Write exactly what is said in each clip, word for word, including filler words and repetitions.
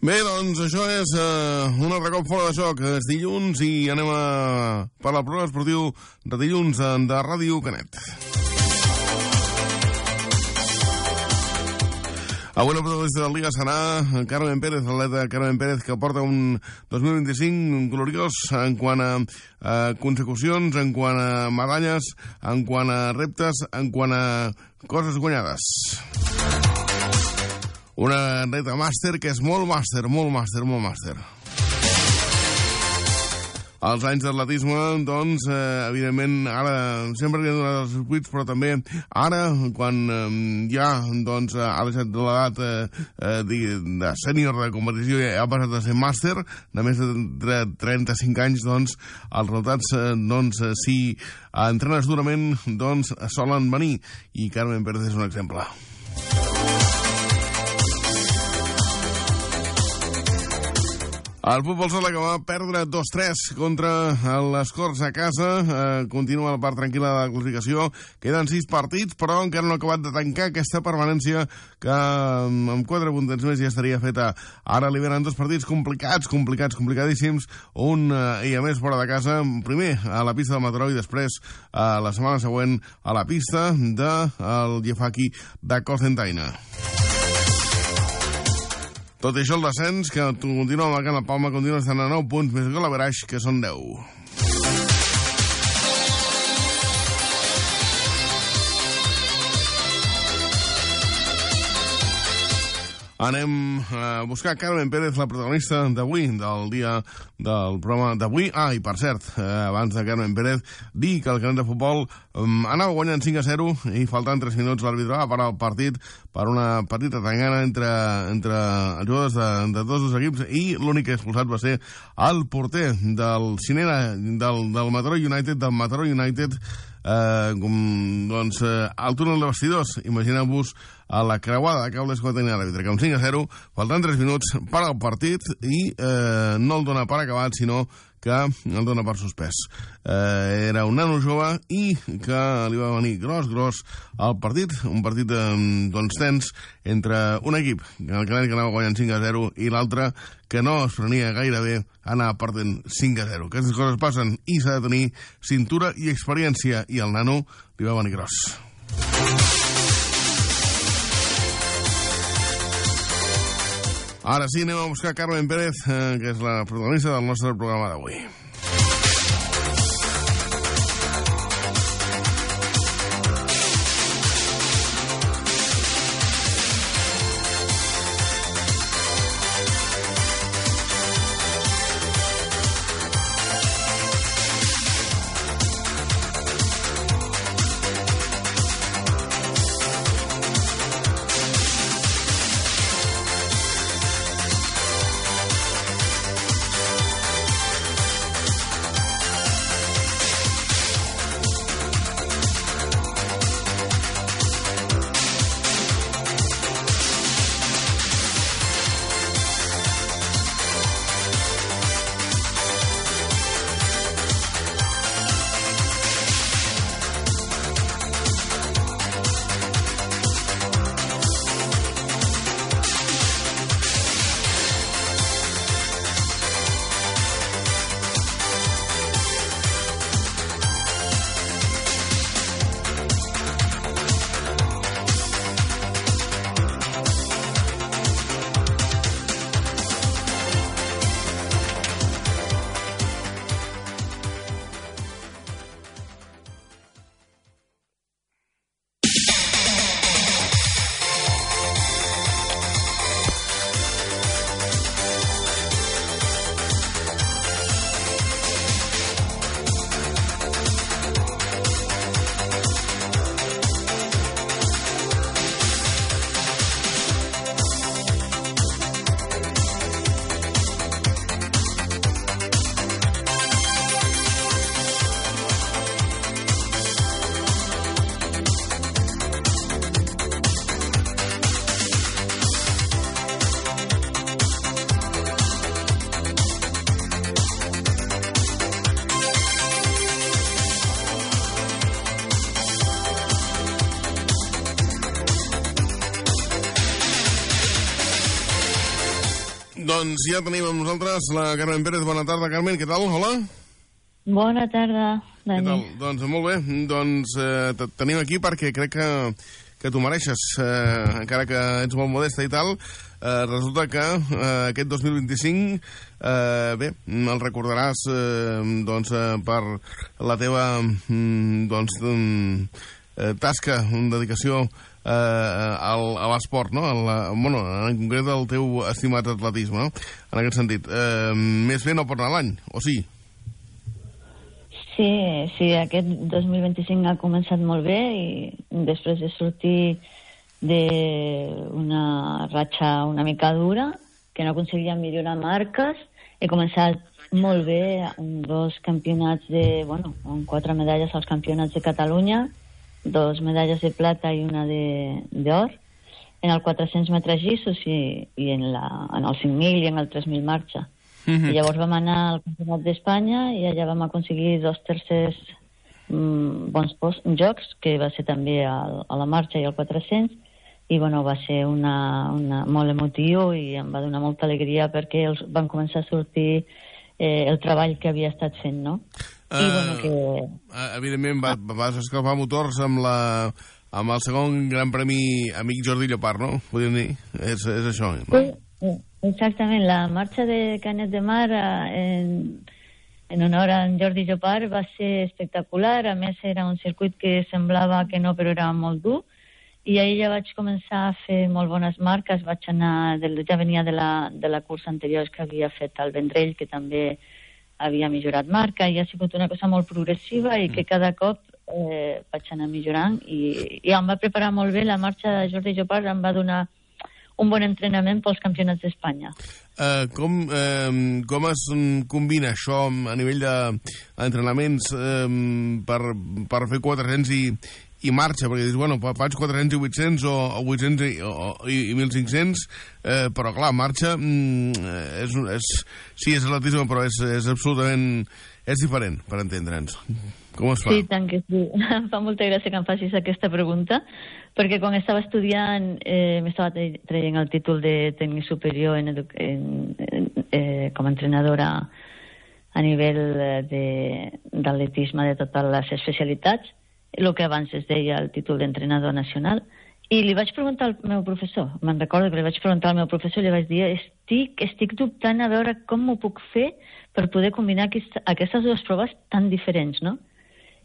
Bé, doncs això és uh, un altre cop fora de joc. És dilluns i anem a parlar del programa esportiu de dilluns de Ràdio Canet. Avui la protagonista del Liga serà Carmen Pérez, l'atleta Carmen Pérez, que porta un dos mil vint-i-cinc gloriós en quant a, a consecucions, en quant a medalles, en quant a reptes, en quant a coses guanyades. Una atleta màster que és molt màster, molt màster, molt màster. Els anys d'atletisme, doncs, eh, evidentment, ara sempre li han donat els circuits, però també ara, quan eh, ja doncs, ha deixat de l'edat eh, eh, de sènior de competició i ha passat a ser màster, de més de trenta-cinc anys, doncs, els resultats, eh, doncs, si entrenes durament, doncs, solen venir. I Carmen Pérez és un exemple. El futbol sala que va perdre dos tres contra les Corts a casa. Eh, continua la part tranquil·la de la classificació. Queden sis partits, però encara no ha acabat de tancar aquesta permanència que amb quatre puntets més ja estaria feta. Ara li venen dos partits complicats, complicats, complicadíssims. Un, eh, i a més, fora de casa. Primer a la pista del Mataró i després, eh, la setmana següent, a la pista del Gefaki de Cocentaina. Tot i això, el descens, que continua marcant la palma, continua estant a nou punts, més que l'averaix, que són deu. Anem a buscar Carmen Pérez, la protagonista d'avui, del dia del programa d'avui. Ah, i per cert, eh, abans de Carmen Pérez, dir que el Canet de Futbol eh, anava guanyant cinc a zero i faltant tres minuts l'àrbitre va parar el partit per una petita tangana entre, entre els jugadors de, de tots els equips, i l'únic que expulsat va ser el porter del Cinera, del, del Mataró United, del Mataró United, Eh, com, doncs, eh, al túnel de vestidors. Imagineu-vos a la creuada de cables que tenia l'àrbitre, que amb cinc a zero, faltant tres minuts, para el partit i eh, no el dona per acabat, sinó que el dona per suspès. Eh, era un nano jove i que li va venir gros, gros al partit, un partit eh, doncs tens entre un equip, el Canet, que anava guanyant cinc a zero, i l'altre que no es prenia gaire bé, anar perdent cinc a zero. Aquestes coses passen i s'ha de tenir cintura i experiència, i el nano li va venir gros. Ara sí, anem a buscar Carmen Pérez, eh, que és la protagonista del nostre programa d'avui. Doncs ja tenim amb nosaltres la Carmen Pérez. Bona tarda, Carmen. Què tal? Hola. Bona tarda, Dani. Què tal? Doncs molt bé. Doncs eh, te tenim aquí perquè crec que, que t'ho mereixes. Eh, encara que ets molt modesta i tal, eh, resulta que eh, aquest dos mil vint-i-cinc, eh, bé, el recordaràs eh, doncs, eh, per la teva mm, doncs, mm, eh, tasca, dedicació Eh, al, a l'esport, no? La, bueno, en concret el teu estimat atletisme, no? En aquest sentit. Eh, més bé no pot anar l'any, o sí? Sí, sí, aquest dos mil vint-i-cinc ha començat molt bé i després de sortir d'una ratxa una mica dura, que no aconseguia millorar marques, he començat molt bé amb dos campionats de, bueno, amb quatre medalles als campionats de Catalunya, dos medalles de plata i una d'or, en el quatre-cents metres llissos i, i en, la, en el cinc mil i en el tres mil marxa. Mm-hmm. I llavors vam anar al Campionat d'Espanya i allà vam aconseguir dos tercers mm, bons post, jocs, que va ser també al, a la marxa i al quatre-cents, i bueno, va ser una, una, molt emotiu i em va donar molta alegria perquè els, van començar a sortir eh, el treball que havia estat fent, no? I, uh, bueno, que... Evidentment va, vas escalfar motors amb, la, amb el segon gran premi amic Jordi Llopart, no? Podríem dir, és, és això, no? Sí, exactament, la marxa de Canet de Mar en, en honor a en Jordi Llopart va ser espectacular. A més era un circuit que semblava que no, però era molt dur, i ahir ja vaig començar a fer molt bones marques. Vaig anar, ja venia de la, de la cursa anterior que havia fet al Vendrell, que també havia millorat marca, i ha sigut una cosa molt progressiva i que cada cop eh, vaig anar millorant i, i em va preparar molt bé la marxa de Jordi Llopart, em va donar un bon entrenament pels campionats d'Espanya. Uh, com, uh, com es combina això a nivell d'entrenaments uh, per, per fer quatre-cents i, i marxa? Perquè dius, bueno, faig quatre-cents i vuit-cents o, o vuit-cents i, o, i, i mil cinc-cents, eh, però clar, marxa mm, és, és, sí, és atletisme, però és, és absolutament és diferent, per entendre'ns. Com es fa? Sí, tant que sí. Em fa molta gràcia que em facis aquesta pregunta, perquè quan estava estudiant eh, m'estava traient el títol de tècnic superior en, en, en, eh, com a entrenadora a nivell d'atletisme de, de totes les especialitats, el que abans es deia el títol d'entrenador nacional, i li vaig preguntar al meu professor, me'n recordo que li vaig preguntar al meu professor i li vaig dir, estic, estic dubtant a veure com m'ho puc fer per poder combinar aquesta, aquestes dues proves tan diferents, no?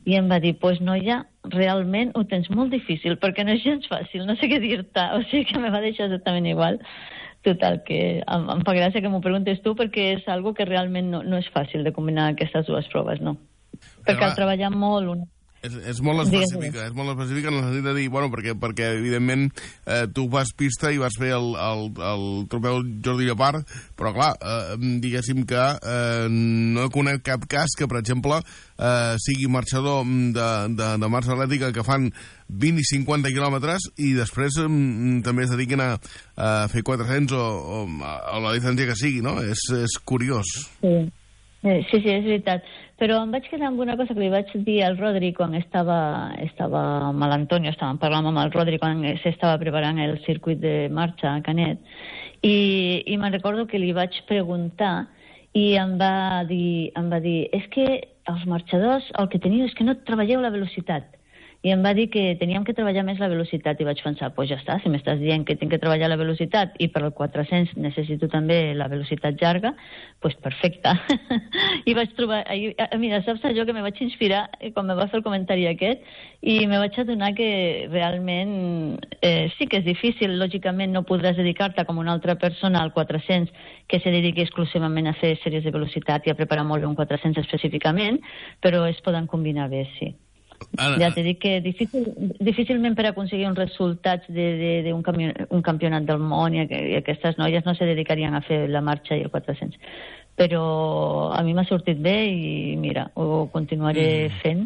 I em va dir, pues noia, realment ho tens molt difícil, perquè no és gens fàcil, no sé què dir-te, o sigui que me va deixar exactament igual. Total, que em, em fa gràcia que m'ho preguntes tu, perquè és algo que realment no, no és fàcil de combinar aquestes dues proves, no? Perquè cal treballar molt una... És, és molt específica, és molt específica en el sentit de dir, bueno, perquè, perquè evidentment eh, tu vas pista i vas fer el, el, el trofeu Jordi Llopart, però clar, eh, diguéssim que eh, no conec cap cas que, per exemple, eh, sigui marxador de, de, de marxa atlètica que fan vint i cinquanta quilòmetres i després eh, també es dediquen a, a fer quatre-cents o, o, o la distància que sigui, no? És, és curiós. Sí. Sí, sí, és veritat. Però em vaig quedar amb una cosa que li vaig dir al Rodri quan estava, estava amb l'Antonio, estàvem parlant amb el Rodri quan s'estava preparant el circuit de marxa a Canet, i, i me'n recordo que li vaig preguntar i em va dir, em va dir, és que els marxadors el que teniu és que no treballeu la velocitat. I em va dir que teníem que treballar més la velocitat i vaig pensar, pues ja està, si m'estàs dient que tinc que treballar la velocitat i per al quatre-cents necessito també la velocitat llarga, pues perfecte. I vaig trobar, mira, saps allò que me vaig inspirar quan me va fer el comentari aquest i me vaig adonar que realment eh, sí que és difícil, lògicament no podràs dedicar-te com una altra persona al quatre-cents que se dediqui exclusivament a fer sèries de velocitat i a preparar molt bé un quatre-cents específicament, però es poden combinar bé, sí. Ara, ja t'he dit que difícil, difícilment per aconseguir uns resultats d'un campion, un campionat del món i, i aquestes noies no se dedicarien a fer la marxa i el quatre-cents, però a mi m'ha sortit bé i mira, ho continuaré mm. fent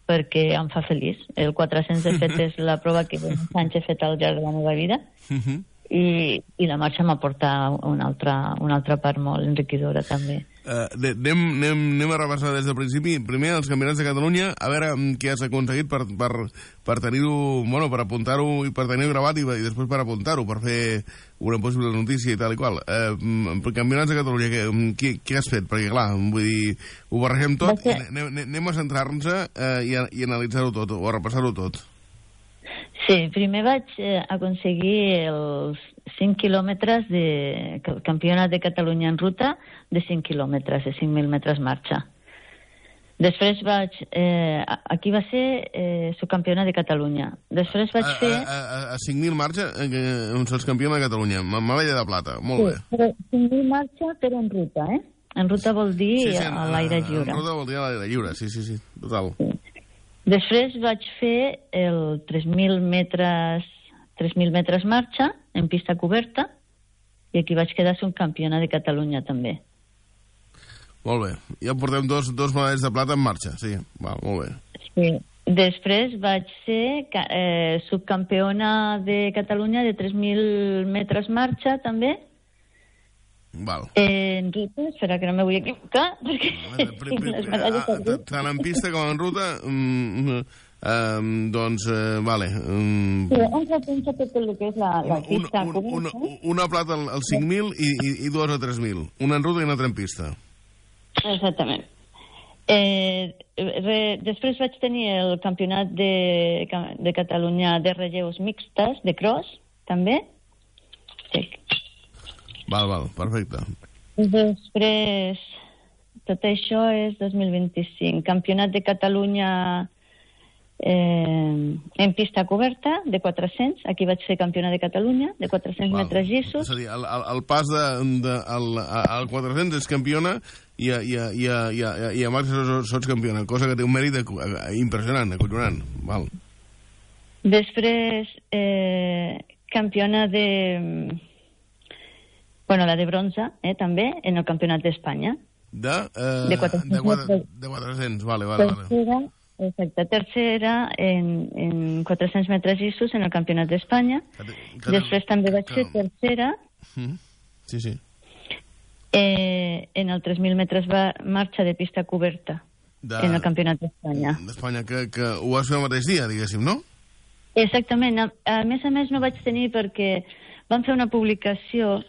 perquè em fa feliç. El quatre-cents de fet és la prova que més anys he fet al llarg de la meva vida mm-hmm. i, i la marxa m'aporta una altra, una altra part molt enriquidora també. Uh, anem, anem, anem a repassar des del principi. Primer, els campionats de Catalunya, a veure què has aconseguit per, per, per tenir-ho, bueno, per apuntar-ho i per tenir-ho gravat i, i després per apuntar-ho, per fer una possible notícia i tal i qual. Uh, campionats de Catalunya, què, què, què has fet? Perquè, clar, vull dir, ho barregem tot i anem, anem a centrar-nos uh, i, a, i analitzar-ho tot, o a repassar-ho tot. Sí, primer vaig eh, aconseguir els cinc quilòmetres de campionat de Catalunya en ruta de cinc quilòmetres, de cinc mil metres marxa. Després vaig... Eh, aquí va ser eh, subcampionat de Catalunya. Després vaig a, fer... A, a, a cinc mil marxa, eh, on se'ls campiona de Catalunya. Medalla de plata, molt sí, bé. Però cinc mil marxa, però en ruta, eh? En ruta vol dir sí, sí, a l'aire lliure. En ruta vol dir a l'aire lliure, sí, sí, sí, total. Sí. Després vaig fer el tres mil metres, tres mil metres marxa en pista coberta i aquí vaig quedar subcampiona de Catalunya també. Molt bé. Ja portem dos, dos medalles de plata en marxa, sí. Va, molt bé. Sí. Després vaig ser eh, subcampiona de Catalunya de tres mil metres marxa també. Val. Eh, en ruta, espera que no me vull equivocar, perquè tinc les medalles de ruta. Tant en pista com en ruta, mm, um, doncs, eh, vale. Um, sí, on se pensa tot el que és la, la pista. Un, un, una, una plata al, al cinc mil i, i, i dues a tres mil. Una en ruta i una altra en pista. Exactament. Eh, re, després vaig tenir el campionat de, de Catalunya de relleus mixtes, de cross, també. Sí. Val, val, perfecte. Després, tot això és dos mil vint-i-cinc. Campionat de Catalunya eh, en pista coberta, de quatre-cents. Aquí vaig ser campionat de Catalunya, de quatre-cents val. Metres llissos. És a dir, el, el, el pas de, de, el, al quatre-cents és campiona i a, i a, i a, i a, i a marxa sots campiona, cosa que té un mèrit impressionant, acollonant. Val. Després, eh, campiona de... Bueno, la de bronze, eh, també, en el Campionat d'Espanya. De, eh, de quatre-cents. De, quatre, de quatre-cents, vale, vale. Tercera, vale. Exacte, tercera en, en quatre-cents metres llissos en el Campionat d'Espanya. Després també vaig ser tercera. Mm. Sí, sí. Eh, en el tres mil metres va marxa de pista coberta de, en el Campionat d'Espanya. D'Espanya, que, que ho vas fer el mateix dia, diguéssim, no? Exactament. A, a més a més no vaig tenir perquè van fer una publicació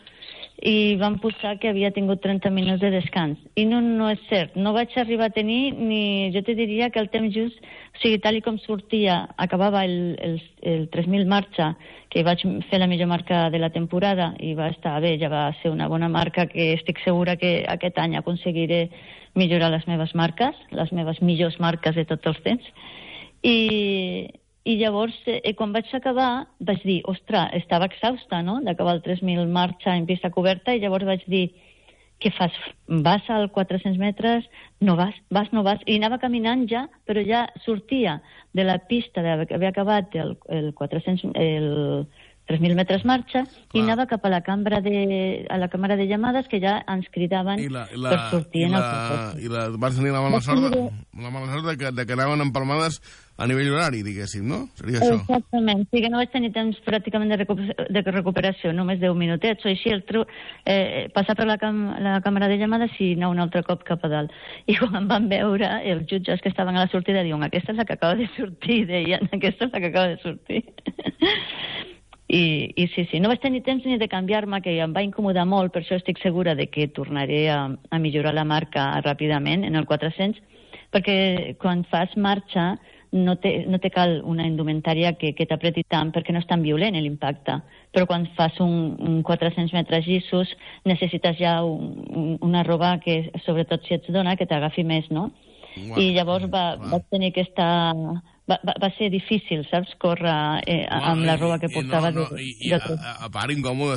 i van posar que havia tingut trenta minuts de descans. I no, no és cert. No vaig arribar a tenir ni... Jo te diria que el temps just, o sigui, tal com sortia, acabava el, el, el tres mil marxa, que vaig fer la millor marca de la temporada i va estar bé, ja va ser una bona marca que estic segura que aquest any aconseguiré millorar les meves marques, les meves millors marques de tots els temps. I... I llavors, eh, quan vaig acabar, vaig dir, ostres, estava exhausta, no?, d'acabar el tres mil marxa en pista coberta, i llavors vaig dir, què fas? Vas al quatre-cents metres? No vas, vas, no vas. I anava caminant ja, però ja sortia de la pista d'haver acabat el, el quatre-cents, el tres mil metres marxa, clar, i anava cap a la cambra de, a la càmera de llamades, que ja ens cridaven I la, i la, per sortir i en la, el procés. I la, vas tenir la mala sort, de, la mala sort de, que, de que anaven empalmades a nivell horari, diguéssim, no? Seria això. Exactament. Sí que no vaig tenir temps pràcticament de, recuper de recuperació, només deu minutets o així, el tru eh, passar per la, cam la càmera de llamades i anar un altre cop cap a dalt. I quan em van veure, els jutges que estaven a la sortida diuen, aquesta és la que acaba de sortir, deien, aquesta és la que acaba de sortir. I, I sí, sí, no vaig tenir temps ni de canviar-me, que em va incomodar molt, per això estic segura de que tornaré a, a millorar la marca ràpidament en el quatre-cents, perquè quan fas marxa no te, no te cal una indumentària que, que t'apreti tant perquè no és tan violent l'impacte, però quan fas un, un quatre-cents metres llissos necessites ja un, un, una roba que, sobretot si ets dona, que t'agafi més, no? Wow. I llavors va, vaig tenir que estar... Va, va, va ser difícil, saps, córrer eh, amb la roba que portava. I, no, no, de, i, i a, a part incòmode,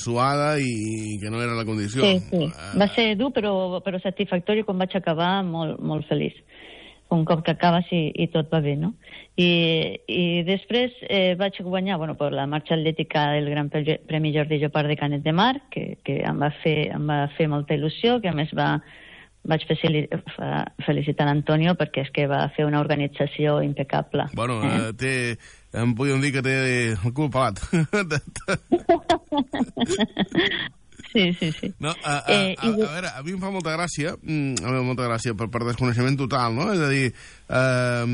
suada i que no era la condició. Sí, sí. Va ser dur, però, però satisfactori. Quan vaig acabar, molt, molt feliç. Un cop que acabes i, i tot va bé, no? I, i després eh, vaig guanyar, bueno, per la marxa atlètica del Gran Premi Jordi Llopart de Canet de Mar, que, que em, va fer, em va fer molta il·lusió, que a més va... Vaig felicitar l'Antonio perquè és que va fer una organització impecable. Bueno, eh? té, em podríem dir que té el cul pelat. Sí, Sí, sí, sí. No, a, a, Eh, a, i... a veure, a mi em fa molta gràcia, mm, a mi em fa molta gràcia per, per desconeixement total, no? És a dir, eh,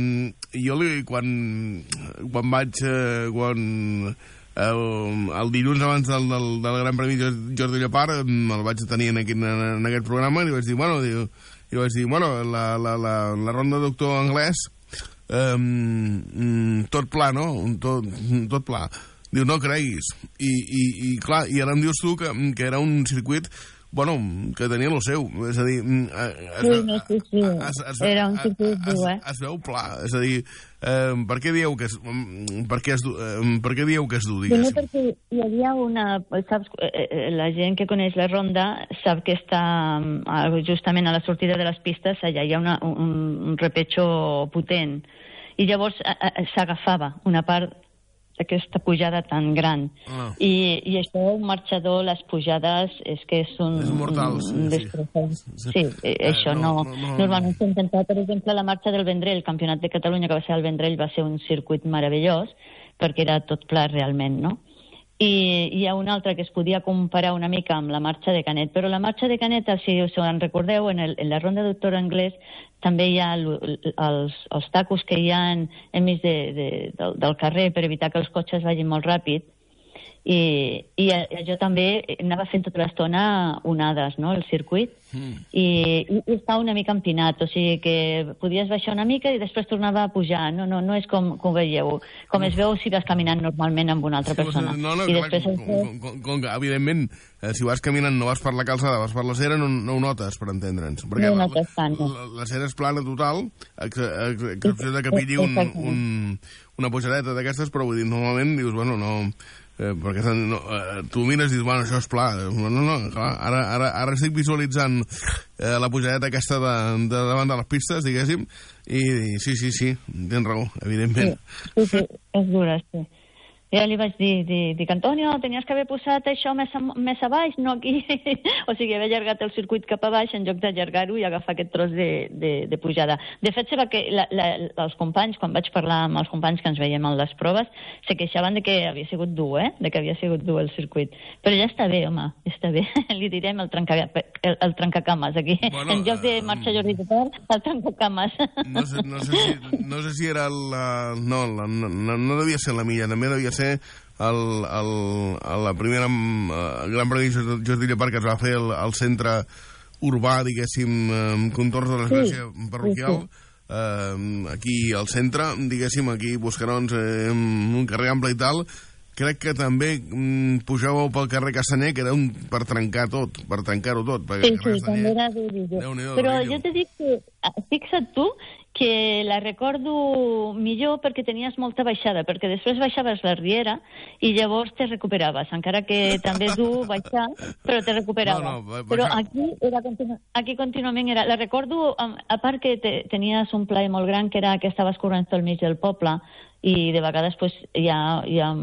jo li, quan, quan vaig, eh, quan el, el dilluns abans del, del, del Gran Premi Jordi Llopart el vaig tenir en aquest, en aquest programa i li vaig dir, bueno, diu, i vaig dir, bueno, la, la, la, la ronda de doctor anglès, eh, tot pla, no? Tot, tot pla. Diu, no creguis. I, i, i clar, i ara em dius tu que, que era un circuit, bueno, que tenia el seu. És a dir... Es, sí, no, sí, sí. Es, es, era un circuit dur, eh? Es, es veu pla. És a dir, eh, per què dieu que es, per què es, eh, per què dieu que es du, diguéssim? No, perquè hi havia una... Saps, la gent que coneix la ronda sap que està justament a la sortida de les pistes, allà hi ha una, un, un repetxo potent. I llavors s'agafava una part aquesta pujada tan gran. Ah. I, i això, un marxador, les pujades, és que és un... És mortal, sí. Sí, sí. sí eh, això no, no, no... Normalment s'ha intentat, per exemple, la marxa del Vendrell, el Campionat de Catalunya que va ser al Vendrell, va ser un circuit meravellós, perquè era tot pla realment, no? I hi ha una altra que es podia comparar una mica amb la marxa de Canet, però la marxa de Canet, si us en recordeu, en, el, en la ronda de doctor anglès també hi ha els, els tacos que hi ha enmig de, de, del, del carrer per evitar que els cotxes vagin molt ràpid. I, i jo també anava fent tota l'estona onades, no?, el circuit, mm. i, i estava una mica empinat, o sigui que podies baixar una mica i després tornava a pujar, no, no, no és com, com veieu, com es veu si vas caminant normalment amb una altra persona. No, no, I clar, després com, com, com, com que, evidentment, eh, si vas caminant no vas per la calçada, vas per la cera, no, no ho notes, per entendre'ns. Perquè no la, notes tant, no. la, la cera és plana total, excepció de que pilli un, un, una pujadeta d'aquestes, però vull dir, normalment dius, bueno, no... Eh, perquè no, eh, tu mires i dius, bueno, això és pla. No, no, clar, ara, ara, ara estic visualitzant eh, la pujadeta aquesta de, de davant de les pistes, diguéssim, i, i sí, sí, sí, tens raó, evidentment. Sí, sí, sí, és dura, sí. Ja li vaig dir, dir, dic, Antonio, tenies que haver posat això més a, més a baix, no aquí. O sigui, haver allargat el circuit cap a baix en lloc d'allargar-ho i agafar aquest tros de, de, de pujada. De fet, se va que la, la, els companys, quan vaig parlar amb els companys que ens veiem en les proves, se queixaven de que havia sigut dur, eh? De que havia sigut dur el circuit. Però ja està bé, home, ja està bé. Li direm el, trenca, el, el trencacames aquí. Bueno, en lloc de marxa Jordi Llopart, el trencacames. No sé, no sé, si, no sé si era la... No, la, no, no devia ser la milla, també devia ser el, el, la primera uh, Gran Premi Jordi Llopart que es va fer al, al centre urbà, diguéssim, amb contorns de l'església sí, parroquial, sí, sí. Uh, aquí al centre, diguéssim, aquí Buscarons, eh, un carrer ample i tal. Crec que també mm, pujàveu pel carrer Cassaner, que era un per trencar tot, per trencar-ho tot. Sí, sí, també era dur. Però jo t'he dit que, fixa't tu, que la recordo millor perquè tenies molta baixada, perquè després baixaves la riera i llavors te recuperaves, encara que també és dur baixar, però te recuperaves. No, no, baixar... Però aquí, era continu... aquí contínuament era... La recordo, a part que te, tenies un plaer molt gran, que era que estaves corrent pel mig del poble i de vegades pues, ja... ja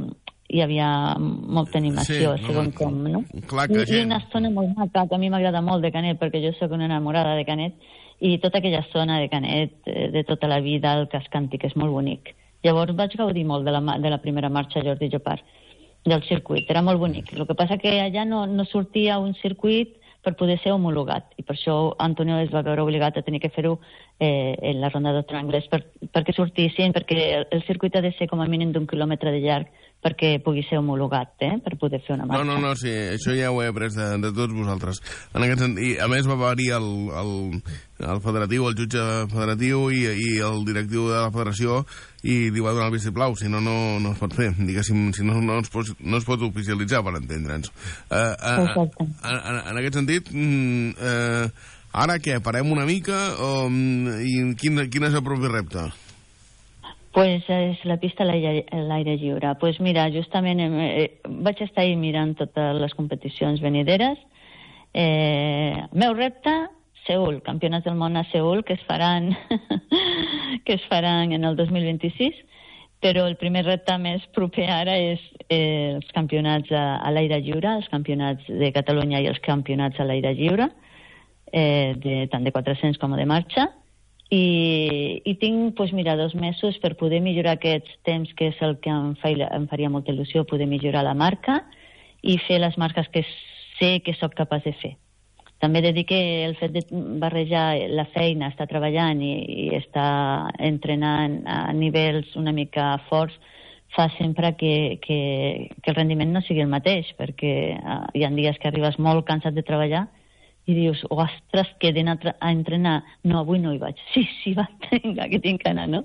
hi havia molta animació, sí, segons no, com, no? Clar que I, gent... I una zona molt maca, que a mi m'agrada molt de Canet, perquè jo sóc una enamorada de Canet, i tota aquella zona de Canet, de tota la vida, el casc antic, és molt bonic. Llavors vaig gaudir molt de la, de la primera marxa Jordi Llopart, del circuit, era molt bonic. El que passa que allà no, no sortia un circuit per poder ser homologat, i per això Antonio es va veure obligat a tenir que fer-ho eh, en la ronda d'Otro Anglès, per, perquè sortissin, perquè el, el circuit ha de ser com a mínim d'un quilòmetre de llarg perquè pugui ser homologat, eh, per poder fer una marxa. No, no, no, sí, això ja ho he après de, de tots vosaltres. En aquest sentit, i a més va venir el, el, el federatiu, el jutge federatiu i, i el directiu de la federació i li va donar el vistiplau, si no, no, no es pot fer, diguéssim, si no, no, es pot, no es pot oficialitzar, per entendre'ns. Uh, uh, en, en aquest sentit, uh, ara què, parem una mica o, i quin, quin és el propi repte? Pues és la pista a l'aire lliure. Pues mira, justament eh, vaig estar ahí mirant totes les competicions venideres. Eh, meu repte, Seül, campionats del món a Seül, que es faran que es faran en el dos mil vint-i-sis, però el primer repte més proper ara és eh, els campionats a, a l'aire lliure, els campionats de Catalunya i els campionats a l'aire lliure, eh, de, tant de quatre-cents com de marxa. I, i tinc, doncs mira, dos mesos per poder millorar aquests temps, que és el que em, fa, em faria molta il·lusió, poder millorar la marca i fer les marques que sé que sóc capaç de fer. També he de dir que el fet de barrejar la feina, estar treballant i, i estar entrenant a nivells una mica forts, fa sempre que, que, que el rendiment no sigui el mateix, perquè uh, hi ha dies que arribes molt cansat de treballar i dius, ostres, que he d'anar a entrenar. No, avui no hi vaig. Sí, sí, va, vinga, que tinc que anar, no?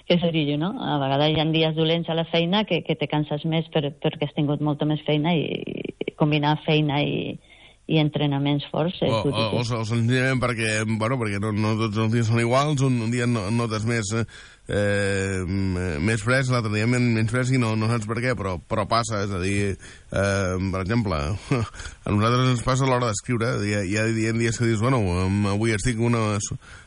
Que seria, no? A vegades hi ha dies dolents a la feina que, que te canses més per, perquè has tingut molta més feina i, i combinar feina i, i entrenaments forts. Eh, o, o, o, o senzillament perquè, bueno, perquè no, no tots els dies són iguals, un, un dia no, notes més, eh, més fresc, l'altre dia menys fresc i no, no saps per què, però, però passa, és a dir, eh, per exemple, a nosaltres ens passa a l'hora d'escriure, hi ha, hi ha dies que dius, bueno, avui estic una...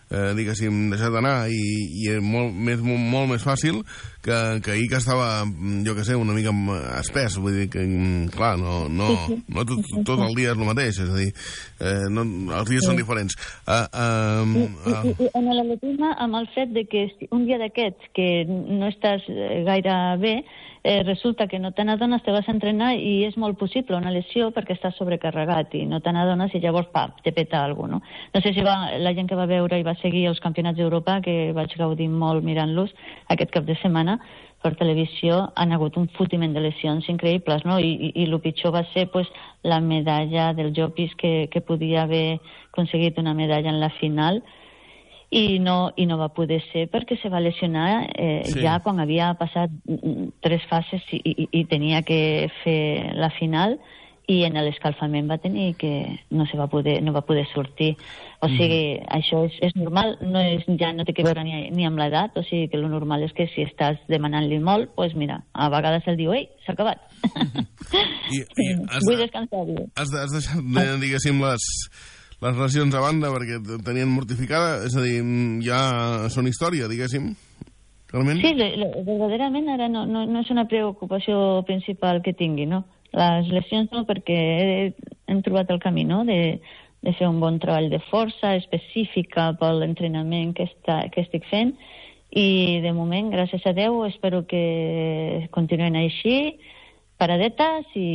Eh, diguéssim, deixat d'anar i, i és molt més, molt, molt més fàcil que, que ahir que estava, jo que sé, una mica espès, vull dir que, clar, no, no, no tot, tot el dia és el mateix, és a dir, eh, no, els dies són diferents. Uh, uh, uh. I, i, i en l'atletisme, amb el fet de que un dia d'aquests que no estàs gaire bé, eh, resulta que no te n'adones, te vas a entrenar i és molt possible una lesió perquè estàs sobrecarregat i no te n'adones i llavors, pap, te peta alguna cosa, no? No sé si va, la gent que va veure i va seguir els campionats d'Europa, que vaig gaudir molt mirant-los aquest cap de setmana per televisió, han hagut un fotiment de lesions increïbles, no? I, i, i el pitjor va ser pues, la medalla del Llopis, que, que podia haver aconseguit una medalla en la final, i no, i no va poder ser perquè se va lesionar eh, sí. ja quan havia passat tres fases i, i, i tenia que fer la final, i en l'escalfament va tenir que no se va poder, no va poder sortir. O sigui, mm. això és, és normal, no és, ja no té que veure ni, ni amb l'edat, o sigui que el normal és que si estàs demanant-li molt, doncs pues mira, a vegades el diu, ei, s'ha acabat. I, i has, vull descansar. Has, has deixat, diguéssim, les, les lesions a banda perquè tenien mortificada, és a dir, ja són història, diguéssim, realment? Sí, le, le, verdaderament ara no, no, no és una preocupació principal que tingui, no? Les lesions no, perquè he, hem trobat el camí, no?, de, de fer un bon treball de força específica per l'entrenament que, està, que estic fent, i de moment, gràcies a Déu, espero que continuïn així, paradetes i,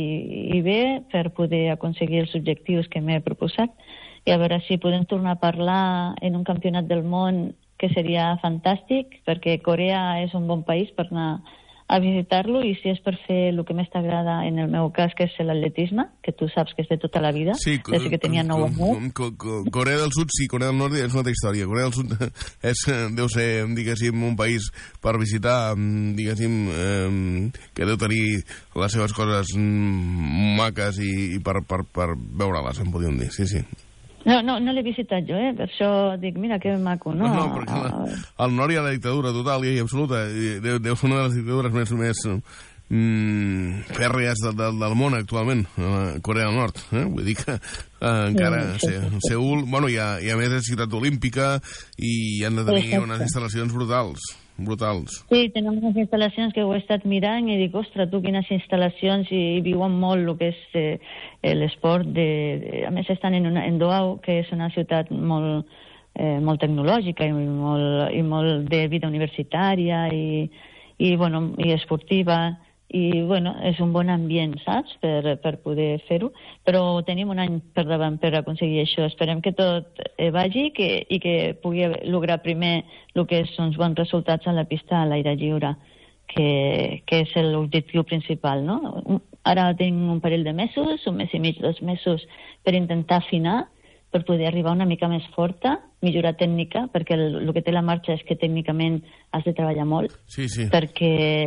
i bé, per poder aconseguir els objectius que m'he proposat, i a veure si podem tornar a parlar en un campionat del món, que seria fantàstic, perquè Corea és un bon país per anar a visitar-lo, i si és per fer el que més t'agrada, en el meu cas, que és l'atletisme, que tu saps que és de tota la vida, sí, des que tenia nou anys. Corea del Sud, sí, Corea del Nord és una altra història. Corea del Sud és, deu ser, diguéssim, un país per visitar, diguéssim, eh, que deu tenir les seves coses maques i, i per, per, per veure-les, em podríem dir, sí, sí. No, no, no l'he visitat jo, eh? Per això dic, mira, que maco, no? No, no, perquè la, al nord hi ha la dictadura total i absoluta. Deu, deu ser una de les dictadures més, més mm, fèrrees de, de, del món actualment, Corea del Nord. Eh? Vull dir que eh, encara sí, sí, sí. Seül, bueno, hi ha, hi ha més de ciutat olímpica i han de tenir sí, unes instal·lacions brutals. brutals. Sí, tenim unes instal·lacions que ho he estat mirant i dic, ostres, tu quines instal·lacions, i, i viuen molt el que és eh, l'esport. De, de, a més, estan en, una, en Doau, que és una ciutat molt, eh, molt tecnològica i molt, i molt de vida universitària i, i, bueno, i esportiva, i bueno, és un bon ambient, saps?, per, per poder fer-ho, però tenim un any per davant per aconseguir això. Esperem que tot eh, vagi que, i que pugui lograr primer el que és uns bons resultats a la pista a l'aire lliure, que, que és l'objectiu principal, no? Ara tinc un parell de mesos, un mes i mig, dos mesos, per intentar afinar, per poder arribar una mica més forta, millorar tècnica, perquè el, el que té la marxa és que tècnicament has de treballar molt, sí, sí. perquè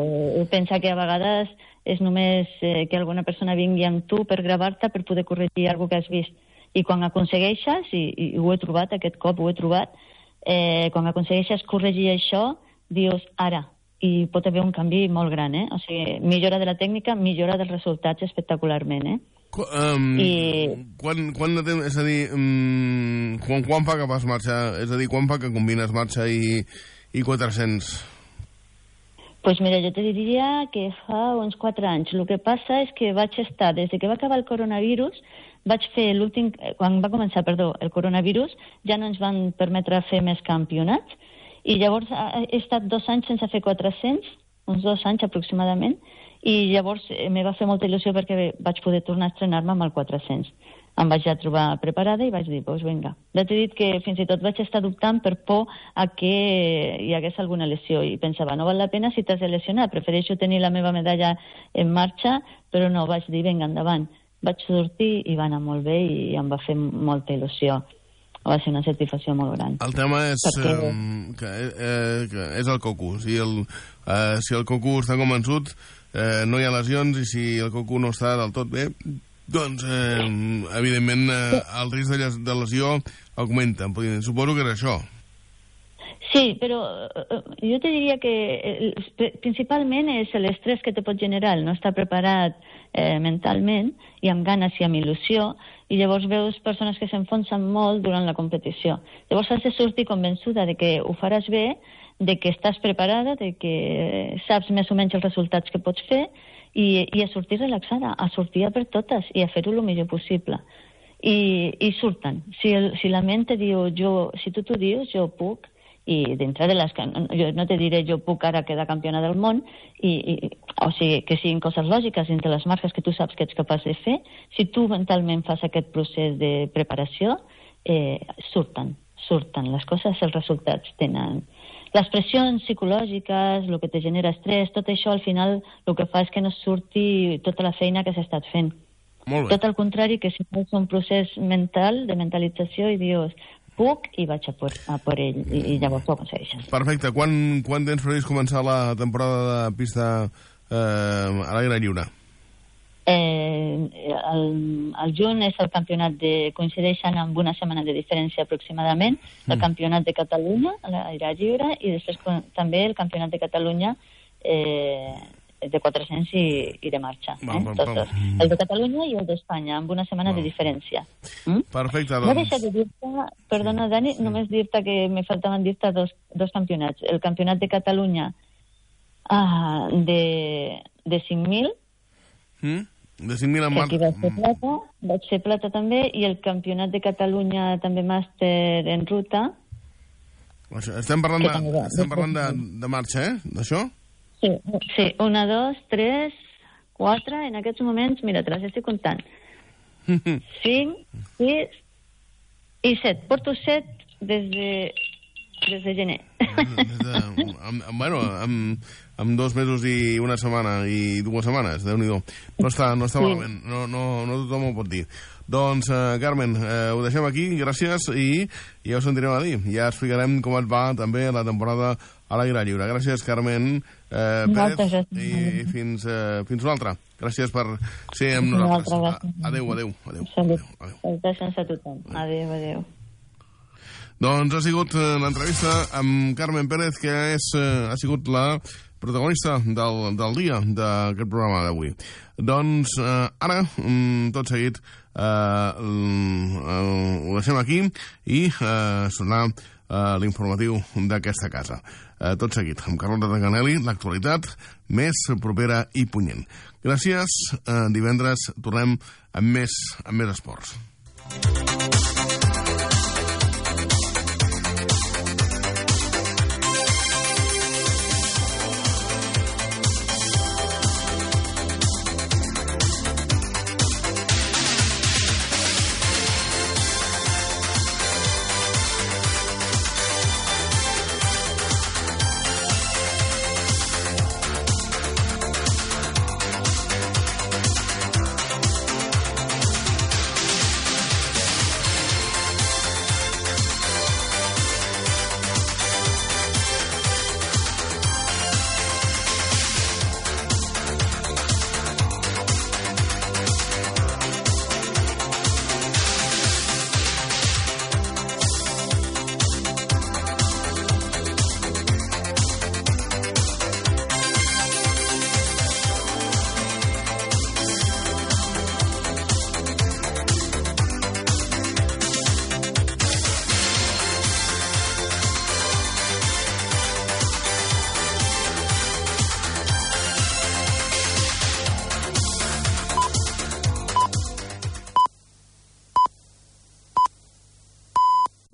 pensa que a vegades és només eh, que alguna persona vingui amb tu per gravar-te per poder corregir alguna que has vist. I quan aconsegueixes, i, i ho he trobat, aquest cop ho he trobat, eh, quan aconsegueixes corregir això, dius, ara, i pot haver un canvi molt gran, eh? O sigui, millora de la tècnica, millora dels resultats espectacularment, eh? Um, I... quan, quan de temps, és a dir, um, quan, quan fa que vas marxar, és a dir, quan fa que combines marxa i, i quatre-cents? Pues mira, jo te diria que fa uns quatre anys. El que passa és que vaig estar, des que va acabar el coronavirus, vaig fer l'últim, quan va començar, perdó, el coronavirus, ja no ens van permetre fer més campionats, i llavors he estat dos anys sense fer quatre-cents, uns dos anys aproximadament, I llavors eh, me va fer molta il·lusió perquè vaig poder tornar a estrenar-me amb el quatre-cents. Em vaig ja trobar preparada i vaig dir, doncs pues vinga. Ja t'he dit que fins i tot vaig estar dubtant per por a que hi hagués alguna lesió i pensava, no val la pena si t'has de lesionar, prefereixo tenir la meva medalla en marxa, però no, vaig dir, vinga, endavant. Vaig sortir i va anar molt bé i em va fer molta il·lusió. Va ser una satisfacció molt gran. El tema és Perquè... eh, que, eh, que és el coco. Si el, eh, si el coco està convençut, eh, no hi ha lesions, i si el coco no està del tot bé, doncs, eh, evidentment, eh, el risc de, de lesió augmenta. Suposo que era això. Sí, però eh, jo te diria que eh, principalment és l'estrès que te pot generar el no estar preparat eh, mentalment i amb ganes i amb il·lusió, i llavors veus persones que s'enfonsen molt durant la competició. Llavors has de sortir convençuda de que ho faràs bé, de que estàs preparada, de que saps més o menys els resultats que pots fer, i, i a sortir relaxada, a sortir a per totes i a fer-ho el millor possible. I, i surten. Si, el, si la ment te diu, jo, si tu t'ho dius, jo puc, i dintre de les... Jo no te diré, jo puc ara quedar campiona del món, i, i, o sigui, que siguin coses lògiques dintre les marques que tu saps que ets capaç de fer. Si tu mentalment fas aquest procés de preparació, eh, surten, surten. Les coses, els resultats tenen... Les pressions psicològiques, el que te genera estrès, tot això al final el que fa és que no surti tota la feina que s'ha estat fent. Molt bé. Tot al contrari, que si fas un procés mental, de mentalització, i dius, puc, i vaig a por, a por ell, i, i llavors ho aconsegueixes. Perfecte. Quan, quan tens previst començar la temporada de pista eh, a l'aire lliure? Eh, el, el juny és el campionat de... coincideixen amb una setmana de diferència aproximadament, el mm. campionat de Catalunya a l'aire lliure, i després també el campionat de Catalunya eh, de quatre-cents i, i de marxa. Eh? Val, val, val. El de Catalunya i el d'Espanya, amb una setmana val. de diferència. Mm? Perfecte, doncs. No deixa de dir-te, perdona, Dani, sí. només dir-te que me faltaven dir-te dos, dos campionats. El campionat de Catalunya ah, de, de cinc mil, mm? de cinc mil en marxa. Aquí vaig ser plata, vaig ser plata també, i el campionat de Catalunya també màster en ruta. Estem parlant, de, estem parlant de, de marxa, eh? D'això? Sí, sí, una, dos, tres, quatre, en aquests moments, mira, te les estic comptant. Cinc, sis i set. Porto set des de, des de gener. Des de, amb, amb, bueno, amb, amb dos mesos i una setmana i dues setmanes, Déu-n'hi-do. No està, no està sí. malament, no, no, no tothom ho pot dir. Doncs, eh, Carmen, eh, ho deixem aquí, gràcies, i ja ho sentirem a dir. Ja explicarem com et va també la temporada a l'aire lliure. Gràcies, Carmen eh, Pérez, i, i fins, eh, fins una altra. Gràcies per ser amb nosaltres. Adéu, adéu, adéu. Salutacions a tothom. Adéu, adéu. Doncs ha sigut l'entrevista amb Carmen Pérez, que és, ha sigut la protagonista del, del dia d'aquest programa d'avui. Doncs eh, ara, tot seguit, eh, ho deixem aquí i eh, sonarà eh, l'informatiu d'aquesta casa. Eh, tot seguit, amb Carlota Tanganelli, l'actualitat més propera i punyent. Gràcies, eh, divendres tornem amb més, amb més esports.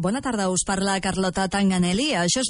Bona tarda, us parla Carlota Tanganelli. Això és